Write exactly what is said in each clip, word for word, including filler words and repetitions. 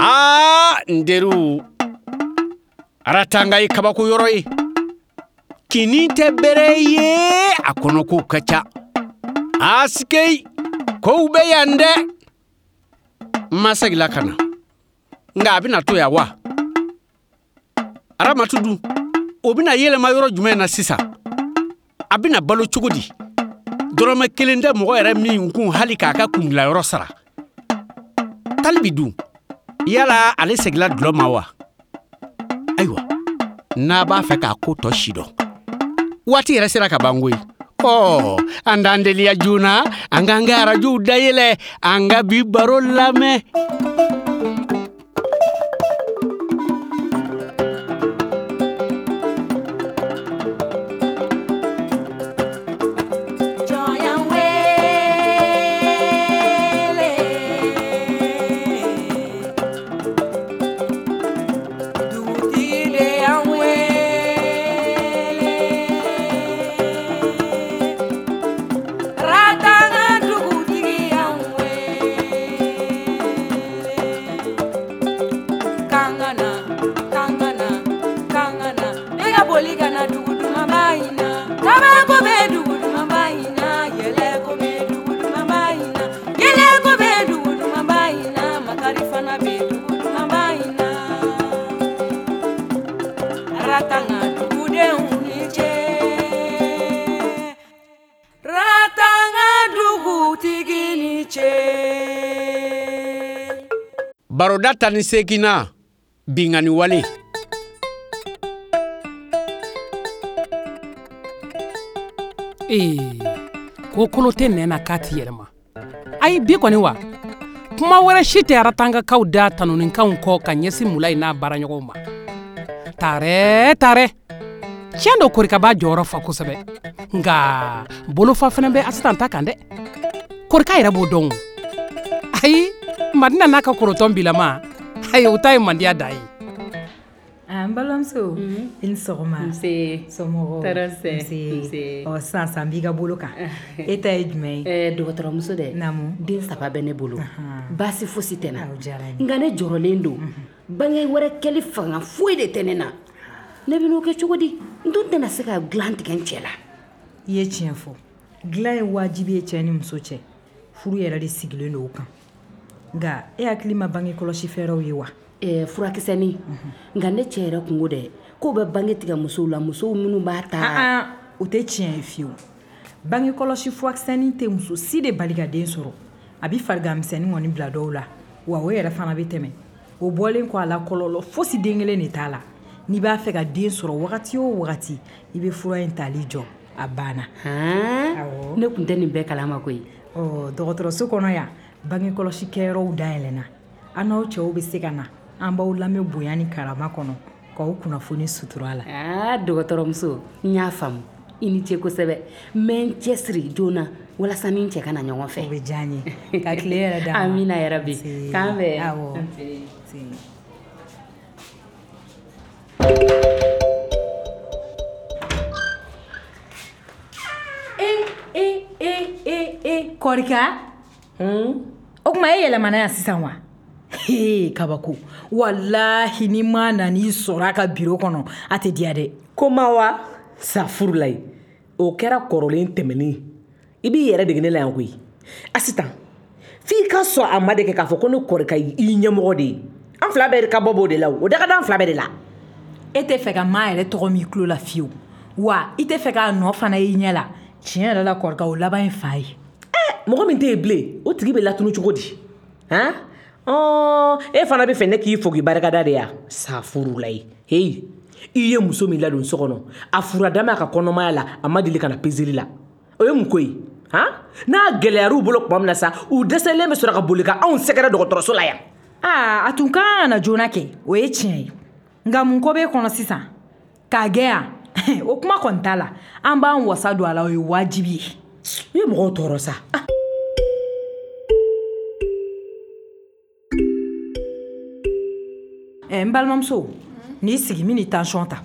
Aa, n teriw, Aratanga ye kabako yɔrɔ ye. Kini tɛ bɛrɛ ye, a kɔnɔkow ka ca. Asikei, kow bɛ yan dɛ. N ma segin ka na. Nka a bɛna to yan wa? Aramatu dun, o bɛna yɛlɛma yɔrɔ jumɛn na sisan? A bɛna balo cogo di? Dɔrɔmɛ kelen tɛ mɔgɔ yɛrɛ min kun hali k'a ka kundilayɔrɔ sara. Talibi dun, yala ale seginna dulɔ ma wa? Ayiwa, n'a b'a fɛ k'a ko tɔ si dɔn, waati yɛrɛ sera ka ban koyi. Ɔ, an t'an teliya joona, an k'an ka arajow dayɛlɛ, an ka bi baro lamɛn. Baroda tan ni seeginna, binkanni wale. Ee, ko kolo tɛ nɛn na k'a ti yɛlɛma. Ayi, bi kɔni wa, kuma wɛrɛ si tɛ Aratangakaw da tanuninkanw kɔ ka ɲɛsin Mulayi n'a baaraɲɔgɔnw ma. Taarɛ taarɛ, tiɲɛ don Korika b'a jɔyɔrɔ fa kosɛbɛ, nka bolofa fana bɛ Asitan ta kan dɛ. Korika yɛrɛ b'o dɔn. Ayi, Madina n'a ka korotɔn bilama, ayi, o ta ye mandiya da ye. N balimamuso, i ni sɔgɔma. Nse. Somɔgɔw? Tɔɔrɔ tɛ. Nse. Ɔ, sisan sisan n b'i ka bolo kan. E ta ye jumɛn ye? Ɛɛ, dɔgɔtɔrɔmuso dɛ. Naamu. Den saba bɛ ne bolo. Baasi fosi tɛ n na. O diyara n ye. Nka ne jɔrɔlen don. Bange wɛrɛ kɛli fanga foyi de tɛ ne na. Ne bɛ n'o kɛ cogo di? N dun tɛna se ka dilan tigɛ n cɛ la. I ye tiɲɛ fɔ. Dilan ye wajibi ye cɛ ni muso cɛ. Furu yɛrɛ de sigilen don o kan. Nka e hakili ma bange kɔlɔsi fɛɛrɛw ye wa? Ɛɛ, furakisɛnin. Nka ne cɛ yɛrɛ kungo dɛ, k'o bɛ bange tigɛ musow la, musow minnu b'a ta. An, o tɛ tiɲɛ ye fiyewu. Bange kɔlɔsi furakisɛnin tɛ muso si de bali ka den sɔrɔ. A bɛ farigan misɛnnin kɔni bila dɔw la, wa o yɛrɛ fana bɛ tɛmɛ. O bɔlen kɔ a la, kɔlɔlɔ fosi den kelen de t'a la. N'i b'a fɛ ka den sɔrɔ wagati o wagati, i bɛ fura in tali jɔ, a banna. Han, ne tun tɛ nin bɛɛ kalama koyi. Ɔ, dɔgɔtɔrɔso kɔnɔ yan, bange kɔlɔsi kɛyɔrɔw dayɛlɛnna. An n'aw cɛw bɛ se ka na, an b'aw lamɛn bonya ni karama kɔnɔ, k'aw kunnafoni sutura la. Aa, dɔgɔtɔrɔmuso, n y'a faamu. I ni ce kosɛbɛ. N bɛ n cɛsiri joona walasa ni n cɛ ka na ɲɔgɔn fɛ. O bɛ diya n ye. Ka tile yɛrɛ d'an ma. Amina yarabi. K'an bɛn. Awɔ. E e e e e Korika. O tuma e yɛlɛmana yan sisan wa? Hee, kabako. Walahi ni ma nan'i sɔrɔ a ka biro kɔnɔ, a tɛ diya dɛ. Ko ma wa? Safurulayi. O kɛra kɔrɔlen tɛmɛnen. I b'i yɛrɛ dege ne la yan koyi. Asitan, f'i ka sɔn a ma de kɛ k'a fɔ ko ne Korika y'i ɲɛmɔgɔ de ye. An fila bɛɛ ka bɔ b'o de la o. O da ka d'an fila bɛɛ de la. E tɛ fɛ ka maa yɛrɛ tɔgɔ m'i tulo la fiyewu. Wa i tɛ fɛ k'a nɔ fana y'i ɲɛ la. Tiɲɛ yɛrɛ la Korika, o laban ye fa ye. Mɔgɔ min tɛ yen bilen, o tigi bɛ latunu cogo di? Han? Ɔɔ, e fana bɛ fɛ ne k'i fo k'i barikada de ya? Safurulayi. Heyi, i ye muso min ladon so kɔnɔ, a furadama a ka kɔnɔmaya la, a ma deli ka na peseli la. O ye mun ko ye? Han? N'a gɛlɛyar'u bolo tuma min na sa, u dɛsɛlen bɛ sɔrɔ ka boli ka anw sɛgɛrɛ dɔgɔtɔrɔso la yan. Aa, a tun kan ka na joona kɛ, o ye tiɲɛ ye. Nka mun ko b'e kɔnɔ sisan? K'a gɛn yan? O kuma kɔni t'a la. An b'an wasa don a la, o ye wajibi ye. I ye mɔgɔw tɔɔrɔ sa. Ɛ, n balimamuso, n'i sigi min ni tension ta.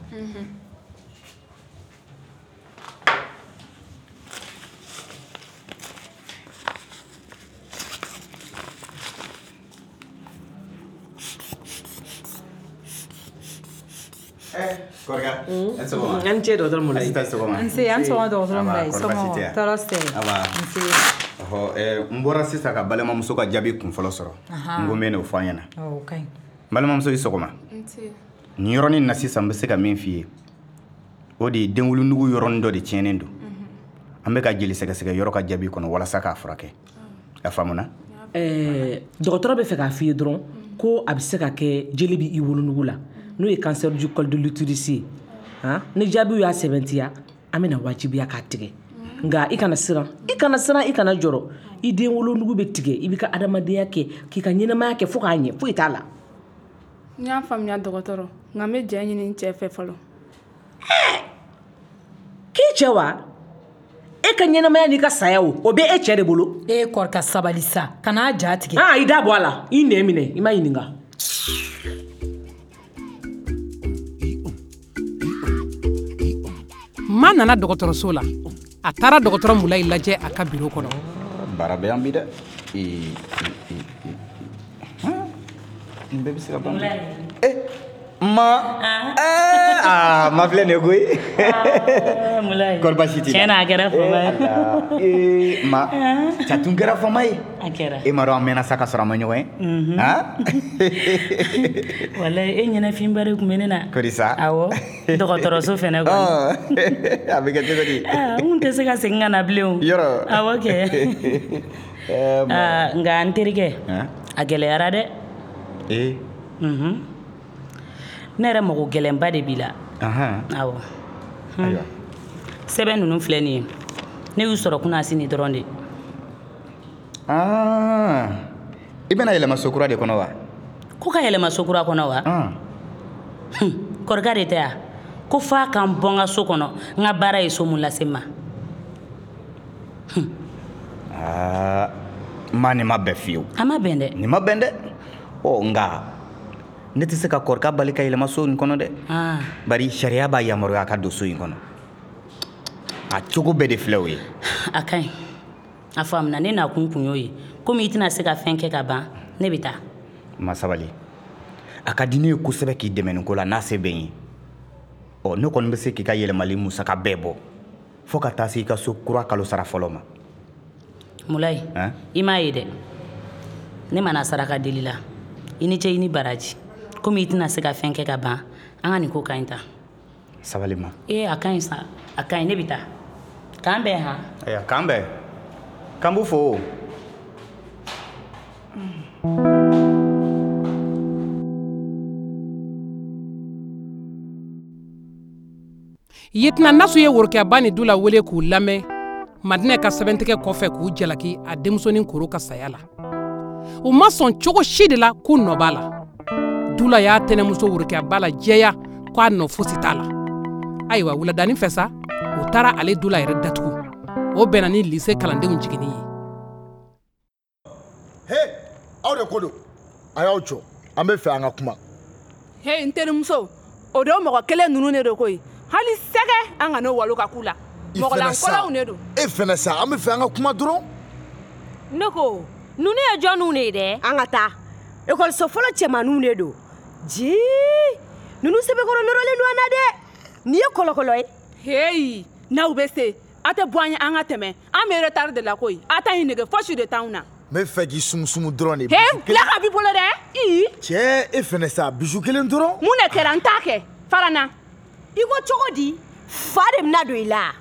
Eh, Kɔrika, an sɔgɔma. An ce dɔgɔtɔrɔ Mulayi. Asita sɔgɔma. Nse, an sɔgɔma dɔgɔtɔrɔ Mulayi. Somɔgɔw, tɔɔrɔ si tɛ. Aba. Nse. Ɔhɔ, ɛɛ n bɔra sisan ka balimamuso ka jaabi kun fɔlɔ sɔrɔ. Ahan. N ko n bɛ n'o fɔ an ɲɛna. Ɔ, o ka ɲi. Balimamuso i sɔgɔma. Nse. Nin yɔrɔnin na sisan n bɛ se ka min f'i ye, o de ye denwolonugu yɔrɔnin dɔ de tiɲɛnen don. An bɛ ka jeli sɛgɛsɛgɛ yɔrɔ ka jaabi kɔnɔ walasa k'a furakɛ. A faamuna? Ɛɛ dɔgɔtɔrɔ bɛ fɛ k'a f'i ye dɔrɔn ko a bɛ se ka kɛ jeli bɛ i wolonugu la, n'o ye cancer du col de l'utérus ye. Han, ni jaabiw y'a sɛbɛntiya, an bɛna wajibiya k'a tigɛ. Nka i kana siran, i kana siran, i kana jɔrɔ. I den wolonugu bɛ tigɛ, i b'i ka adamadenya kɛ, k'i ka ɲɛnamaya kɛ fo k'a ɲɛ, foyi t'a la. N y'a faamuya dɔgɔtɔrɔ, nka n bɛ jɛ ɲini n cɛ fɛ fɔlɔ. K'i cɛ wa? E ka ɲɛnamaya n'i ka saya o, o bɛ e cɛ de bolo. E Kɔrika sabali sa, kan'a ja tigɛ. Ah, i da bɔ a la, i nɛn minɛ, i ma ɲininka. Ma nana dɔgɔtɔrɔso la. A taara dɔgɔtɔrɔ Mulayi lajɛ a ka biro kɔnɔ. Baara bɛ yan bi dɛ. Ee, ee, ee, nin bɛɛ bɛ se ka ban. Eh, ma. Ah, ma filɛ nin ye koyi. Mulayi. Kɔri baasi t'i la? Tiɲɛ na a kɛra fama ye. Ee, ma. Jatun kɛra fama ye. A kɛra. E m'a dɔn an mɛnna sa ka sɔrɔ an ma ɲɔgɔn ye. Han? Walayi e ɲɛnafinba de tun bɛ ne na. Kori sa? Awɔ. Dɔgɔtɔrɔso fɛnɛ kɔni. A bɛ kɛ cogo di? Aa, n kun tɛ se ka segin ka na bilen o. Yɔrɔ? Awɔ kɛ. Aa, nka n terikɛ. A gɛlɛyara dɛ. Ee. Unhun. Ne yɛrɛ mago gɛlɛnba de b'i la. Awɔ. Ayiwa. Sɛbɛn ninnu filɛ nin ye. Ne y'u sɔrɔ kunasini dɔrɔn de. Aa, i bɛna yɛlɛma so kura de kɔnɔ wa? Ko ka yɛlɛma so kura kɔnɔ wa? Kɔrika de tɛ yan. Ko f'a ka n bɔ n ka so kɔnɔ, n ka baara ye so mun lase n ma. Aa, ma nin ma bɛn fiyewu. A ma bɛn dɛ. Nin ma bɛn dɛ. Ɔ nka ne tɛ se ka Kɔrika bali ka yɛlɛma so in kɔnɔ dɛ. Bari sariya b'a yamaruya a ka don so in kɔnɔ. A cogo bɛɛ de filɛ o ye. A ka ɲi. A faamuna, ne n'a kun kun y'o ye. Komi i tɛna se ka fɛn kɛ ka ban, ne bɛ taa. Ma sabali. A ka di ne ye kosɛbɛ k'i dɛmɛ nin ko la n'a se bɛ n ye. Ɔ ne kɔni bɛ se k'i ka yɛlɛmali musaka bɛɛ bɔ. Fo ka taa se i ka so kura kalo sara fɔlɔ ma. Mulayi, i m'a ye dɛ. Ne mana saraka deli la. I ni ce i ni baraji. Komi i tɛna se ka fɛn kɛ ka ban, an ka nin ko ka ɲi ta. Sabali ma. Ee, a ka ɲi sa. A ka ɲi, ne bɛ taa. K'an bɛn han. Ayiwa, k'an bɛn. K'an b'u fo. Yetina Nasu ye worokɛba ni Dula wele k'u lamɛn Madinɛ ka sɛbɛntigɛ kɔfɛ k'u jalaki a denmusonin koro ka saya la. U ma sɔn cogo si de la k'u nɔ b'a la. Dula y'a tɛnɛmuso worokɛba la jɛya k'a nɔ fosi t'a la. Ayiwa wuladanin fɛ sa, u taara ale Dula yɛrɛ datugu. O bɛnna ni lise kalandenw jiginni ye. He, aw de ko don. A y'aw jɔ. An bɛ fɛ an ka kuma. He, n terimuso, o don mɔgɔ kelen ninnu de don koyi. Hali sɛgɛ an ka n'o walo ka k'u la. Mɔgɔlankolow de don. E fɛnɛ sa, an bɛ fɛ an ka kuma dɔrɔn. Ne ko, ninnu ye jɔnniw de ye dɛ? An ka taa. Ekɔliso fɔlɔ cɛmaninw de don. Jii, ninnu sɛbɛkɔrɔ nɔrɔlen don an na dɛ. Nin ye kɔlɔkɔlɔ ye. Heyi, n'aw bɛ se, a tɛ bɔ an ye an ka tɛmɛ. An bɛ retard de la koyi. A ta in nege fosi de t'anw na. N bɛ fɛ k'i sumusumu dɔrɔn de. He, bila ka b'i bolo dɛ. Ii. Cɛ, e fɛnɛ sa, bijou kelen dɔrɔn. Mun de kɛra? N t'a kɛ. Fara n na. I ko cogo di? Fa de bɛna don i la.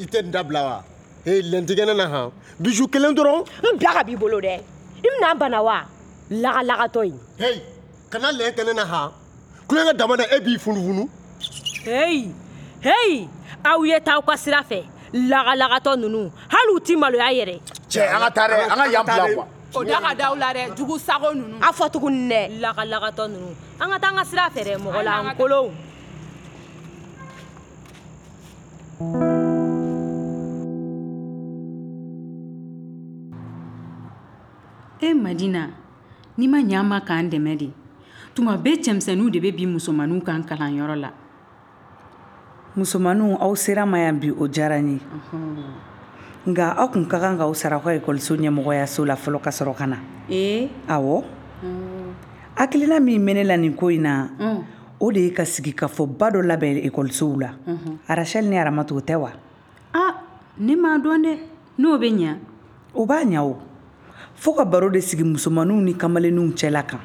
I tɛ nin dabila wa? He, lɛntigɛ ne na han. Bijou kelen dɔrɔn. N bila ka b'i bolo dɛ. I bɛna n bana wa? Lagalagatɔ in. Heyi, kana lɛn kɛ ne na han. Kulonkɛ dama na e b'i funufunu. Heyi, heyi, aw ye taa aw ka sira fɛ. Lagalagatɔ ninnu, hali u ti maloya yɛrɛ. Cɛ, an ka taa dɛ, an ka yan bila quoi. O da ka d'aw la dɛ, jugu sago ninnu. A fɔ tuguni dɛ, lagalagatɔ ninnu. An ka taa an ka sira fɛ dɛ, mɔgɔ lankolonw. E Madina, n'i ma ɲɛ an ma k'an dɛmɛ de. Tuma bɛɛ cɛmisɛnninw de bɛ bin musomaninw kan kalanyɔrɔ la. Musomaninw, aw sera ma yan bi, o diyara n ye. Nka aw kun ka kan k'aw sara aw ka ekɔliso ɲɛmɔgɔyaso la fɔlɔ ka sɔrɔ ka na. Ee? Awɔ. Hakilina min bɛ ne la nin ko in na, O de ye ka sigikafɔba dɔ labɛn ekɔlisow la. Arachel ni Aramatu, o tɛ wa? A, ne m'a dɔn dɛ, n'o bɛ ɲa. O b'a ɲa o. Fo ka baro de sigi musomaninw ni kamalenninw cɛla kan,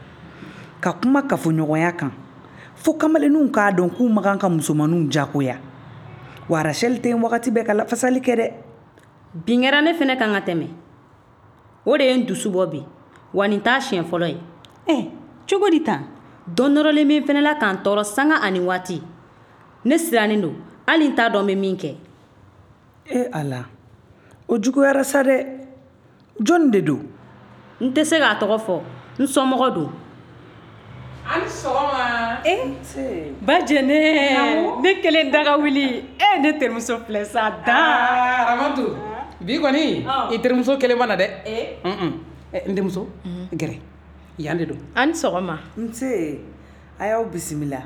ka kuma kafoɲɔgɔnya kan, fo kamalenninw k'a dɔn k'u man kan ka musomaninw jagoya. Wa Arachel tɛ yen wagati bɛɛ ka lafasali kɛ dɛ. Bin kɛra ne fɛnɛ kan ka tɛmɛ. O de ye n dusu bɔ bi, wa nin t'a siɲɛ fɔlɔ ye. Ɛ, cogo di tan? Dɔ nɔrɔlen bɛ n fɛnɛ la k'an tɔɔrɔ sanga ani waati. Ne sirannen don, hali n t'a dɔn n bɛ min kɛ. E Ala, o juguyara sa dɛ. Jɔnni de don? N tɛ se k'a tɔgɔ fɔ, n somɔgɔ don. A ni sɔgɔma. E ba Jɛnɛ, ne kelen daga wuli. E ne terimuso filɛ sa dan. Aramatu, bi kɔni i terimuso kelen ma na dɛ. N denmuso, gɛrɛ yan de don. A ni sɔgɔma. Nse, a y'aw bisimila.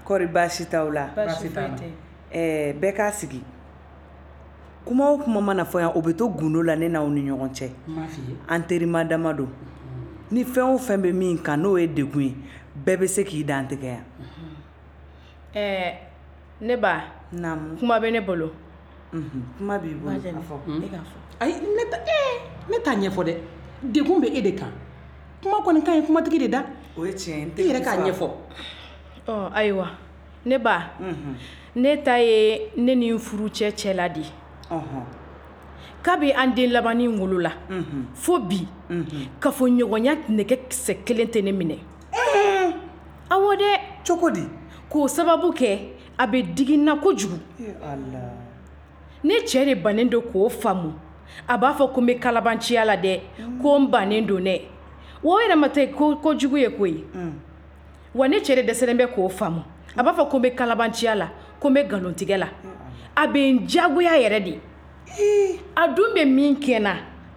Kɔri baasi t'aw la? Baasi t'an na. Ɛɛ, bɛɛ k'a sigi. Kuma o kuma mana fɔ yan, o bɛ to gundo la ne n'aw ni ɲɔgɔn cɛ. An terima dama don. Ni fɛn o fɛn bɛ min kan n'o ye degun ye, bɛɛ bɛ se k'i dantigɛ yan. Ɛɛ, ne ba. Naamu. Kuma bɛ ne bolo. Kuma b'i bolo, a fɔ. E k'a fɔ. Ayi, ne ta ee ne t'a ɲɛfɔ dɛ. Degun bɛ e de kan. Kuma kɔni ka ɲi kumatigi de da. O ye tiɲɛ ye. I yɛrɛ k'a ɲɛfɔ. Ɔ ayiwa, ne ba. Ne ta ye ne ni n furucɛ cɛla de ye. Kabi an den labannin wolola fo bi, kafoɲɔgɔnya nɛgɛ kisɛ kelen tɛ ne minɛ. Awɔ dɛ. Cogo di? K'o sababu kɛ a bɛ digi n na kojugu. Ne cɛ de bannen don k'o faamu. A b'a fɔ ko n bɛ kalabanciya la dɛ, ko n bannen don dɛ. Wa o yɛrɛ ma tɛ kojugu ye koyi. Wa ne cɛ de dɛsɛlen bɛ k'o faamu. A b'a fɔ ko n bɛ kalabanciya la, ko n bɛ nkalontigɛ la. A bɛ n diyagoya yɛrɛ de. A dun bɛ min kɛ n na,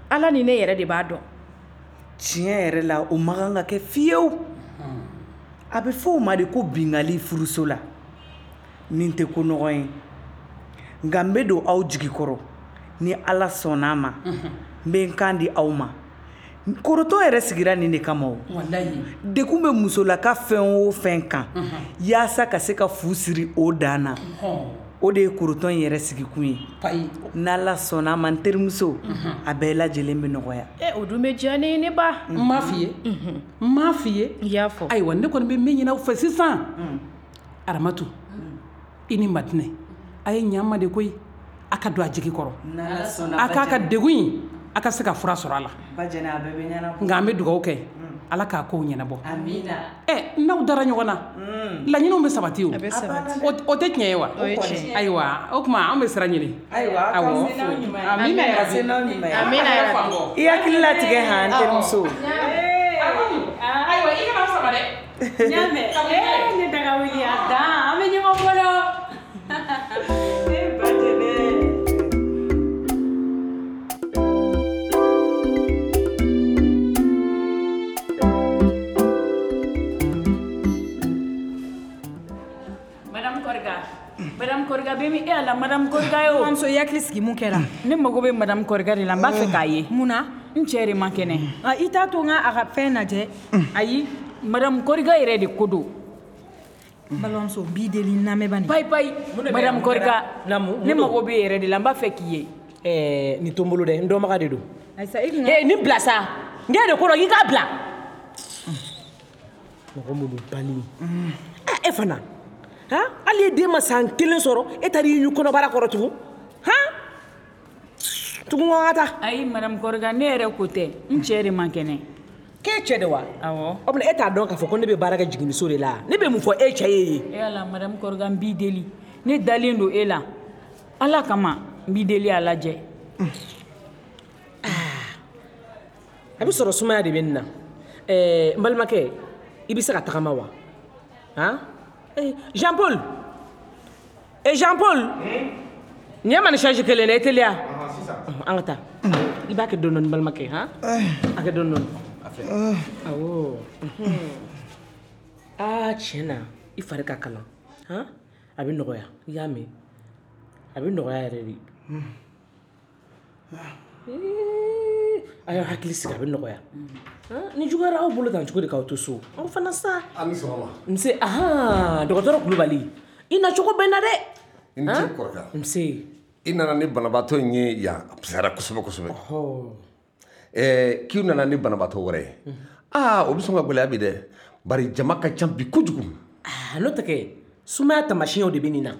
Ala ni ne yɛrɛ de b'a dɔn. Tiɲɛ yɛrɛ la, o man kan ka kɛ fiyewu. A bɛ fɔ o ma de ko bingali furuso la. Nin tɛ ko nɔgɔ ye. Nka n bɛ don aw jigi kɔrɔ ni Ala sɔnna a ma, n bɛ n kan di aw ma. Korotɔ yɛrɛ sigira nin de kama o. Degun bɛ musolaka fɛn o fɛn kan, yaasa ka se ka fu siri o dan na. O de ye korotɔn in yɛrɛ sigikun ye. N'Ala sɔnna a ma, n terimuso, a bɛɛ lajɛlen bɛ nɔgɔya. E o dun bɛ diya ne ye ne ba. N m'a f'i ye. N m'a f'i ye. I y'a fɔ. Ayiwa, ne kɔni bɛ min ɲini aw fɛ sisan. Aramatu, i ni Madinɛ, a ye ɲa n ma de koyi. A ka don a jigi kɔrɔ. A k'a ka degun in, a ka se ka fura sɔrɔ a la. Ba Jɛnɛ, a bɛɛ bɛ ɲɛnabɔ. Nka an bɛ dugawu kɛ. Ala k'a kow ɲɛnabɔ. Amina. Ɛ n'aw dara ɲɔgɔn na, laɲiniw bɛ sabati o. A bɛ sabati. O tɛ tiɲɛ ye wa? O ye tiɲɛ ye. Ayiwa, o tuma an bɛ sira ɲini. Ayiwa, awɔ. Amina yarabi. Amina yarabi. I hakili latigɛ han, n terimuso. Ayiwa, i kana n sama dɛ. N y'a mɛn. Ee ne daga wuli a dan, an bɛ ɲɔgɔn bolo. E ba Jɛnɛ. Madame Koriga bɛ min? E Ala, Madame Koriga ye o. Mamuso, i hakili sigi, mun kɛra? Ne mago bɛ Madame Koriga de la, n b'a fɛ k'a ye. Mun na? N cɛ de man kɛnɛ. I t'a to n ka a ka fɛn lajɛ. Ayi, Madame Koriga yɛrɛ de ko don. Balimamuso, n b'i deli, n lamɛn bani. Payi payi, Madame Koriga, ne mago bɛ yɛrɛ de la, n b'a fɛ k'i ye. Ɛɛ, nin to n bolo dɛ, n dɔnbaga de don. Ayisa, e kun ka. Ee, nin bila sa. N k'e de ko dɔn, k'i k'a bila. Mɔgɔ minnu bali. E fana. Han, hali e den ma san kelen sɔrɔ, e taara i ɲu kɔnɔbara kɔrɔ tugun. Han, tugun ko an ka taa. Ayi, Madame Koriga, ne yɛrɛ ko tɛ, n cɛ de man kɛnɛ. K'e cɛ de wa? Awɔ. O tuma e t'a dɔn k'a fɔ ko ne bɛ baara kɛ jiginniso de la? Ne bɛ mun fɔ e cɛ ye yen? E Ala, Madame Koriga, n b'i deli. Ne dalen don e la. Ala kama, n b'i deli, a lajɛ. A bɛ sɔrɔ sumaya de bɛ nin na. Ɛɛ, n balimakɛ, i bɛ se ka tagama wa? Han? Jean Paul, eh Jean Paul, nin ye ma ni charge kelen dɛ, i teliya. An ka taa. I b'a kɛ dɔɔni dɔɔni balimakɛ, han? A kɛ dɔɔni dɔɔni. Awɔ. Aa, tiɲɛ na, i fari ka kalan. Han? A bɛ nɔgɔya, i y'a mɛn. A bɛ nɔgɔya yɛrɛ de. A y'aw hakili sigi, a bɛ nɔgɔya. Ni juguyara aw bolo tan cogo di k'aw to so? Aw fana sa. A ni sɔgɔma. Nse, ahan, dɔgɔtɔrɔ Kulubali. I na cogo bɛ n na dɛ. I ni ce kɔrɔkɛ. Nse. I nana ni banabaatɔ in ye yan, a fisayara kosɛbɛ kosɛbɛ. Ɛɛ k'i nana ni banabaatɔ wɛrɛ ye. Aa, o bɛ sɔn ka gɛlɛya bi dɛ. Bari jama ka ca bi kojugu. Aa, n'o tɛ kɛ, sumaya taamasiyɛnw de bɛ nin na.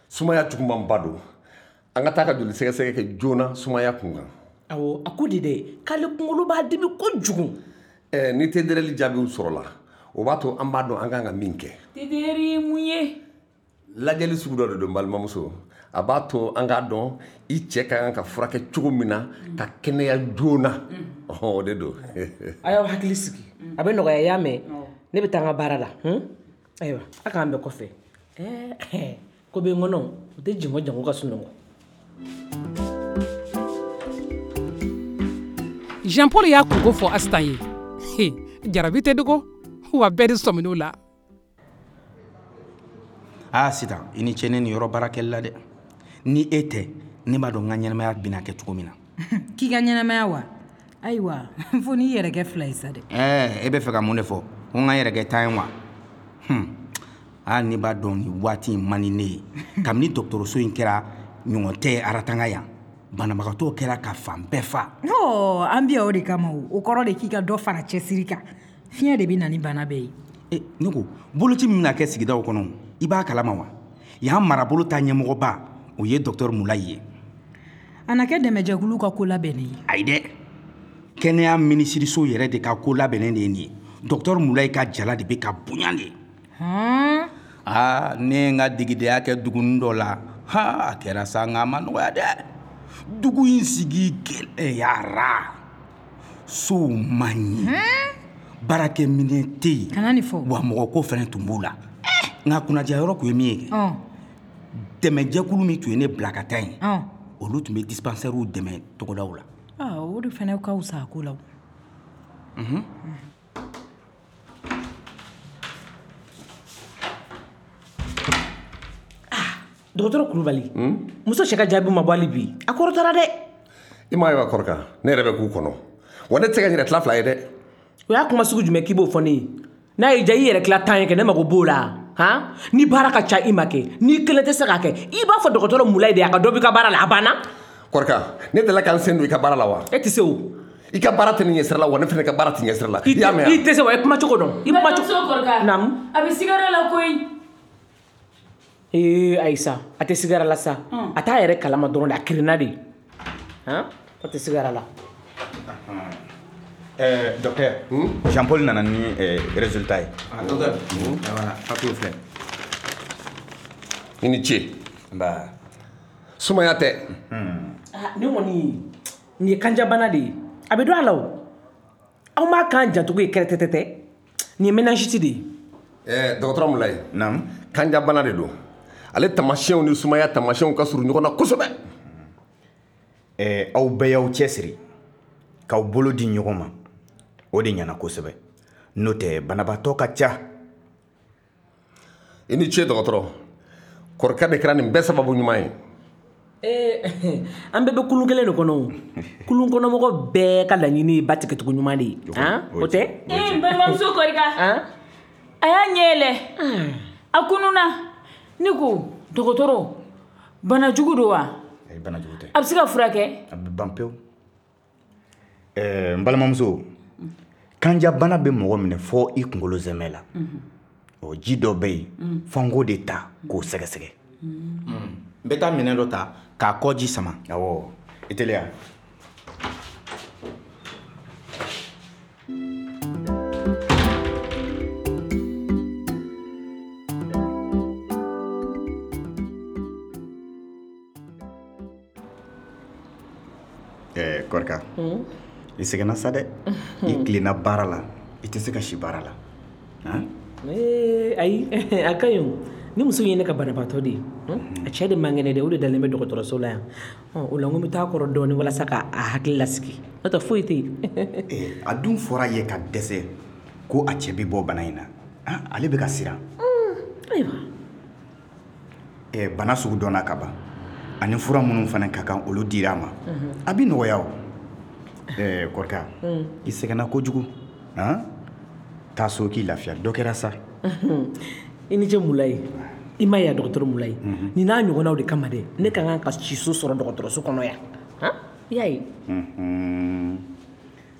Sumaya jugumanba don. An ka taa ka joli sɛgɛsɛgɛ kɛ joona sumaya kun kan. Awɔ, a ko de dɛ, k'ale kunkolo b'a dimi kojugu. Ɛɛ ni T D R L jaabiw sɔrɔla, o b'a to an b'a dɔn an kan ka min kɛ. T D R ye mun ye? Lajɛli sugu dɔ de don balimamuso. A b'a to an k'a dɔn i cɛ ka kan ka furakɛ cogo min na ka kɛnɛya joona. Ɔhɔn, o de don. A y'aw hakili sigi. A bɛ nɔgɔya, i y'a mɛn? Ne bɛ taa n ka baara la. Ayiwa, a k'an bɛn kɔfɛ. Ɛɛ ko bɛ n kɔnɔ, o tɛ jɛngɔ jango ka sunɔgɔ. Jean Paul y'a kunko fɔ Asitan ye. Jarabi tɛ dogo, wa bɛɛ de sɔmin'o la. Aa Sitan, i ni ce ne nin yɔrɔ baarakɛli la dɛ. Ni e tɛ, ne b'a dɔn n ka ɲɛnamaya bɛna kɛ cogo min na. K'i ka ɲɛnamaya wa? Ayiwa, fo n'i yɛrɛ kɛ fila ye sa dɛ. Ɛɛ, e bɛ fɛ ka mun de fɔ? Ko n ka yɛrɛ kɛ tan ye wa? Hmm. Aa, ne b'a dɔn nin waati in man di ne ye. Kabini dɔgɔtɔrɔso in kɛra ɲɔgɔn tɛ Aratanga yan. Banabagatɔ kɛra ka fan bɛɛ fa. Ɔ, an bɛ yan o de kama o. O kɔrɔ de k'i ka dɔ fara cɛsiri kan. Fiɲɛ de bɛ na ni bana bɛɛ ye. E, ne ko, boloci min bɛna kɛ sigidaw kɔnɔ, i b'a kalama wa? Yan marabolo ta ɲɛmɔgɔba, o ye docteur Mulayi ye. A na kɛ dɛmɛjɛkulu ka ko labɛnnen ye. Ayi dɛ, kɛnɛya minisiriso yɛrɛ de ka ko labɛnnen de ye nin ye. Docteur Mulayi ka jala de bɛ ka bonya de. Hɔn. Aa, ne ye n ka degedenya kɛ dugunin dɔ la. Ha, a kɛra sa, nka a ma nɔgɔya dɛ. Dugu in sigi gɛlɛyara. Sow man ɲi. Baarakɛminɛn tɛ yen. Kana nin fɔ. Wa mɔgɔko fana tun b'o la. Nka kunnadiya yɔrɔ tun ye min ye kɛ. Dɛmɛjɛkulu min tun ye ne bila ka taa yen, olu tun bɛ dispensairew dɛmɛ togodaw la. Aa, o de fana ka fisa a ko la o. Unhun. Dɔgɔtɔrɔ Kulubali, muso cɛ ka jaabi ma bɔ hali bi. A kɔrɔtara dɛ. I m'a ye wa kɔrɔkɛ, ne yɛrɛ bɛ k'u kɔnɔ. Wa ne tɛ se ka n yɛrɛ tila fila ye dɛ. O y'a kuma sugu jumɛn k'i b'o fɔ ne ye? N'a y'i diya i yɛrɛ tila tan ye kɛ, ne mago b'o la. Han? Ni baara ka ca i ma kɛ, n'i kelen tɛ se k'a kɛ, i b'a fɔ dɔgɔtɔrɔ Mulayi de ye a ka dɔ b'i ka baara la, a banna. Kɔrɔkɛ, ne delila ka n sen don i ka baara la wa? E tɛ se o. I ka baara tɛ ne ɲɛsira la wa ne fana ka baara tɛ ɲɛsira la. I y'a mɛn wa? I tɛ se wa, i kuma cogo dɔn. I kuma cogo. Kɔrɔkɛ. Naamu. A bɛ sigara la koyi. Ee Ayisa, a tɛ sigara la sa. A t'a yɛrɛ kalama dɔrɔn de, a kirinna de. Han? A tɛ sigara la. Euh, docteur, hmm? Jean-Paul nana ni euh, résultat ye. Ah, docteur. Hmm? Voilà, papier filɛ. I ni ce. Nba. Sumaya tɛ. Ah, nin kɔni, nin ye kanjabana de ye. A bɛ dɔn a la o. Aw m'a kan jantogo ye kɛrɛtɛtɛtɛ. Nin ye méningite de ye. Ɛɛ, dɔgɔtɔrɔ Mulayi. Naamu. Kanjabana de don. Ale tamasiyɛnw ni sumaya tamasiyɛnw ka surun ɲɔgɔn na kosɛbɛ. Ɛɛ, aw bɛɛ y'aw cɛsiri k'aw bolo di ɲɔgɔn ma. O de ɲɛna kosɛbɛ. N'o tɛ banabaatɔ ka ca. I ni ce dɔgɔtɔrɔ. Kɔrɔkɛ de kɛra nin bɛɛ sababu ɲuman ye. Ee, an bɛɛ bɛ kulun kelen de kɔnɔ o. Kulun kɔnɔmɔgɔ bɛɛ ka laɲini ye ba tigɛcogo ɲuman de ye. Han? O tɛ? Ee, n balimamuso Kɔrika. A y'a ɲɛ yɛlɛ. A kununna. Ne ko, dɔgɔtɔrɔ, bana jugu don wa? Ayi, bana jugu tɛ. A bɛ se ka furakɛ? A bɛ ban pewu. Ɛɛ, n balimamuso, kanjabana bɛ mɔgɔ minɛ fɔ i kunkolo zɛmɛ la. Ɔ, ji dɔ bɛ yen, fo n k'o de ta k'o sɛgɛsɛgɛ. N bɛ taa minɛn dɔ ta k'a kɔ ji sama. Awɔ, i teliya. Ɛɛ, Kɔrika. I sɛgɛnna sa dɛ. I tilenna baara la, i tɛ se ka si baara la. Han? Ee, ayi, a ka ɲi o. Ni muso in ye ne ka banabaatɔ de ye. A cɛ de man kɛnɛ dɛ, o de dalen bɛ dɔgɔtɔrɔso la yan. O la n ko n bɛ taa kɔrɔ dɔɔnin walasa k'a hakili lasigi. N'o tɛ foyi tɛ yen. Ee, a dun fɔra ye ka dɛsɛ ko a cɛ bɛ bɔ bana in na. Ale bɛ ka siran. Ayiwa. Ɛɛ, bana sugu dɔnna ka ban. Ani fura minnu fana ka kan, olu dira a ma. A bɛ nɔgɔya o. Ɛɛ Kɔrika, i sɛgɛnna kojugu. Han? Taa so k'i lafiya, dɔ kɛra sa. I ni ce Mulayi. I ma ye dɔgɔtɔrɔ Mulayi. Nin n'a ɲɔgɔnnaw de kama dɛ, ne ka kan ka siso sɔrɔ dɔgɔtɔrɔso kɔnɔ yan. Han? I y'a ye.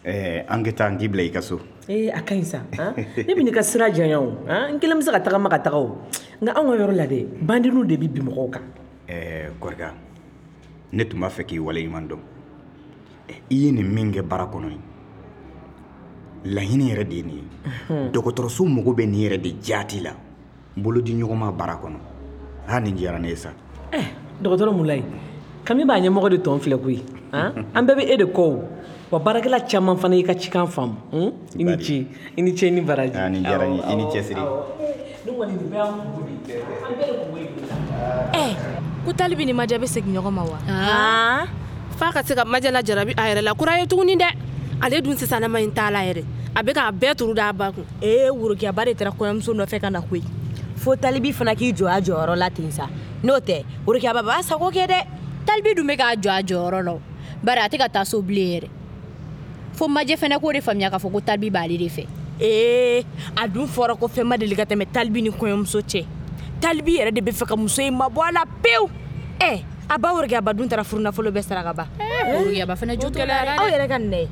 Ɛɛ an ka taa n k'i bila i ka so. Ee a ka ɲi sa. Ne bɛ n'i ka sira janya o. N kelen bɛ se ka tagama ka taga o. Nka anw ka yɔrɔ la dɛ, bandiniw de bɛ bin mɔgɔw kan. Ɛɛ Kɔrika, ne tun b'a fɛ k'i waleɲuman dɔn. I ye nin min kɛ baara kɔnɔ ye, laɲini yɛrɛ de ye nin ye. Dɔgɔtɔrɔso mago bɛ nin yɛrɛ de jaati la, bolo di ɲɔgɔn ma baara kɔnɔ. Aa nin diyara ne ye sa. Ɛɛ dɔgɔtɔrɔ Mulayi, kami b'a ɲɛmɔgɔ de tɔn filɛ koyi. An bɛɛ bɛ e de kɔ o. Wa baarakɛla caman fana y'i ka cikan faamu. I ni ce, i ni ce, i ni baraji. Aa nin diyara n ye, i ni cɛsiri. Nin kɔni nin bɛɛ y'an kungo de ye. An bɛɛ de kungo ye nin ye. Ɛɛ ko Talibi ni Majɛ bɛ segin ɲɔgɔn ma wa? Aa f'a ka se ka Majɛ lajarabi a yɛrɛ la kura ye tuguni dɛ. Ale dun sisanama in t'a la yɛrɛ. A bɛ k'a bɛɛ turu d'a ba kun. Ee Worokiyaba de taara kɔɲɔmuso nɔfɛ ka na koyi. Fo Talibi fana k'i jɔ a jɔyɔrɔ la ten sa. N'o tɛ Worokiyaba b'a sago kɛ dɛ. Talibi dun bɛ k'a jɔ a jɔyɔrɔ la o. Bari a tɛ ka taa so bilen yɛrɛ. Fo Majɛ fana k'o de faamuya k'a fɔ ko Talibi b'ale de fɛ. Ee a dun fɔra ko fɛn ma deli ka tɛmɛ Talibi ni kɔɲɔmuso cɛ. Talibi yɛrɛ de bɛ fɛ ka muso in mabɔ a la pewu. Ɛ a ba Worokiyaba dun taara furunafolo bɛɛ sara ka ban. Worokiyaba fana jo t'o la dɛ. Aw yɛrɛ ka nin dɛ.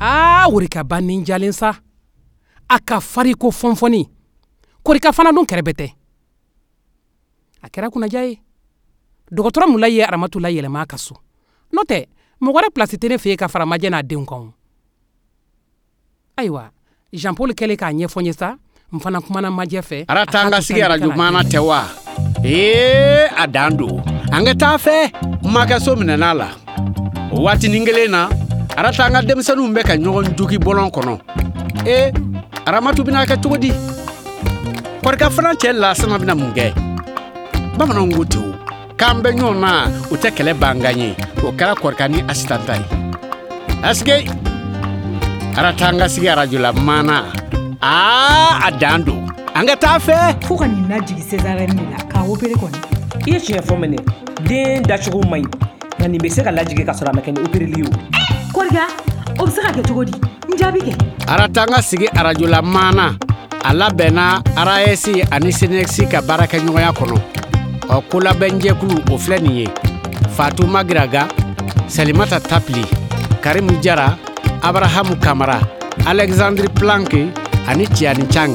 Aa Worokiyaba ni jalen sa. A ka fari ko fɔnfɔni. Kɔrika fana dun kɛrɛbɛ tɛ. A kɛra kunnaja ye. Dɔgɔtɔrɔ Mulayi ye Aramatu layɛlɛma a ka so. N'o tɛ mɔgɔ wɛrɛ pilasi tɛ ne fɛ yen ka fara Majɛ n'a denw kan. Ayiwa Jean Paul kɛlen k'a ɲɛfɔ n ye sa, n fana kumana Majɛ fɛ. Aratanga sigi arajo maana tɛ wa? Ee a dan don. An ka taa fɛ makɛso minɛna la. O waatinin kelen na, Aratanga denmisɛnninw bɛ ka ɲɔgɔn jogi bɔlɔn kɔnɔ. Ee Aramatu bɛna kɛ cogo di? Kɔrika fana cɛ Lasana bɛna mun kɛ? Bamananw ko ten o. K'an bɛ ɲɔgɔn na, o tɛ kɛlɛ bangan ye. O kɛra Kɔrika ni Asitan ta ye. Asike Aratanga sigi arajo la maana. Aa a dan don. An ka taa fɛ. Fo ka nin lajigin césarienne de la k'a opéré kɔni. I ye tiɲɛ fɔ mɛnɛ. Den dacogo man ɲi. Nka nin bɛ se ka lajigin ka sɔrɔ a ma kɛ ni opéreli ye o. Kɔrika, o bɛ se ka kɛ cogo di? N jaabi kɛ. Aratanga sigi arajo la maana. A labɛnna A R A S ani C N S ka baarakɛɲɔgɔnya kɔnɔ. Ɔ kolabɛnjɛkulu o filɛ nin ye. Fatou Magiraga, Salimata Tapli, Karimu Jara, Abrahamu Kamara, Alexandre Planck ani Tiani Chang.